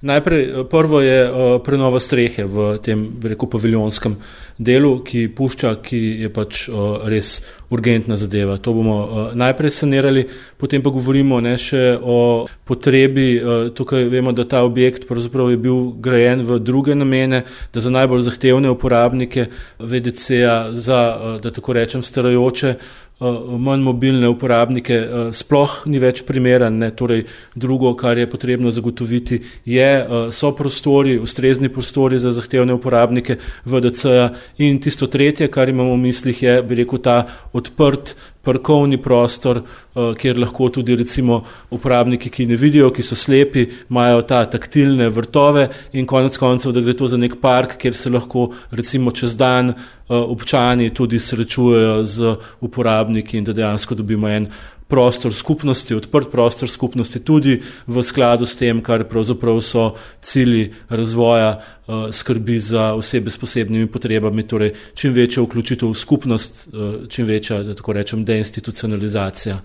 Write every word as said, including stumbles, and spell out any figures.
Najprej, prvo je prenova strehe v tem, bi rekel, paviljonskem delu, ki pušča, ki je pač res urgentna zadeva. To bomo najprej sanirali, potem pa govorimo ne, še o potrebi. Tukaj vemo, da ta objekt pravzaprav je bil grajen v druge namene, da za najbolj zahtevne uporabnike V D C-ja, za, da tako rečem, starajoče, manj mobilne uporabnike sploh ni več primeren. Ne? Torej, drugo, kar je potrebno zagotoviti, je, so prostori, ustrezni prostori za zahtevne uporabnike V D C-ja, in tisto tretje, kar imamo v mislih, je, bi rekel, ta odprt parkovni prostor, kjer lahko tudi recimo uporabniki, ki ne vidijo, ki so slepi, imajo ta taktilne vrtove in konec koncev, da gre to za nek park, kjer se lahko recimo čez dan občani tudi srečujejo z uporabniki in da dejansko dobimo en prostor skupnosti, odprt prostor skupnosti, tudi v skladu s tem, kar pravzaprav so cilji razvoja skrbi za osebe s posebnimi potrebami, torej čim večja vključitev v skupnost, čim večja, da tako rečem, deinstitucionalizacija.